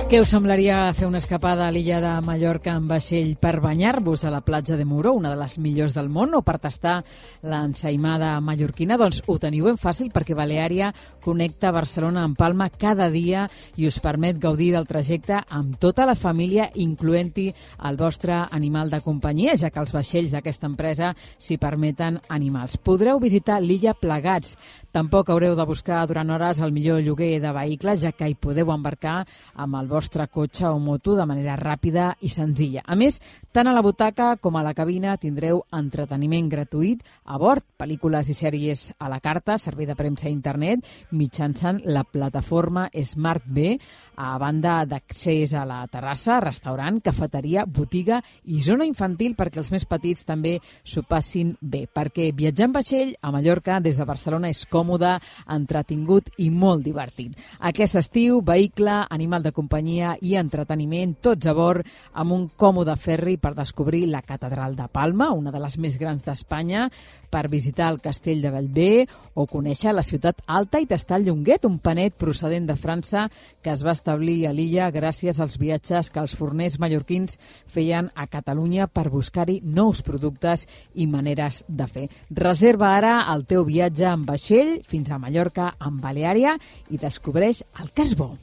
Què us semblaria fer una escapada a l'illa de Mallorca en vaixell per banyar-vos a la platja de Muro, una de les millors del món, o per tastar l'ensaïmada mallorquina? Doncs ho teniu ben fàcil, perquè Baleària connecta Barcelona amb Palma cada dia i us permet gaudir del trajecte amb tota la família, incloent-hi el vostre animal de companyia, ja que els vaixells d'aquesta empresa s'hi permeten animals. Podreu visitar l'illa plegats. Tampoc haureu de buscar durant hores el millor lloguer de vehicles, ja que hi podeu embarcar amb el vostre cotxe o moto de manera ràpida i senzilla. A més, tant a la butaca com a la cabina tindreu entreteniment gratuït a bord, pel·lícules i sèries a la carta, servei de premsa a internet, mitjançant la plataforma Smart B, a banda d'accés a la terrassa, restaurant, cafeteria, botiga i zona infantil perquè els més petits també s'ho passin bé. Perquè viatjar en vaixell a Mallorca des de Barcelona és còmode, entretingut i molt divertit. Aquest estiu, vehicle, animal de companyia i entreteniment, tots a bord, amb un còmode ferri per descobrir la Catedral de Palma, una de les més grans d'Espanya, per visitar el Castell de Bellver o conèixer la ciutat alta i tastar el Llonguet, un panet procedent de França que es va establir a l'illa gràcies als viatges que els forners mallorquins feien a Catalunya per buscar-hi nous productes i maneres de fer. Reserva ara el teu viatge en vaixell fins a Mallorca amb Baleària i descobreix el que és bo.